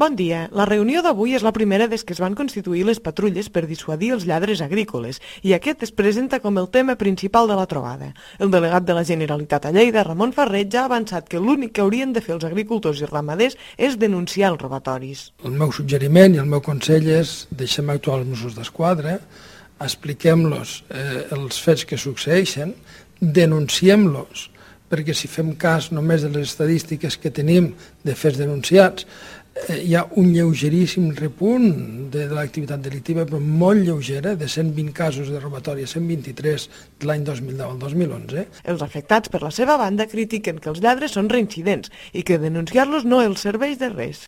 Bon dia. La reunió d'avui és la primera des que es van constituir les patrulles per dissuadir els lladres agrícoles i aquest es presenta com el tema principal de la trobada. El delegat de la Generalitat a Lleida, Ramon Ferrer, ja ha avançat que l'únic que haurien de fer els agricultors i ramaders és denunciar els robatoris. El meu suggeriment i el meu consell és deixem actuar els Mossos d'Esquadra, expliquem-los els fets que succeeixen, denunciem-los, perquè si fem cas només de les estadístiques que tenim de fets denunciats, hi ha un lleugeríssim repunt de l'activitat delictiva, però molt lleugera, de 120 casos de robatori a 123 de l'any 2010 al 2011. Els afectats, per la seva banda, critiquen que els lladres són reincidents i que denunciar-los no els serveix de res.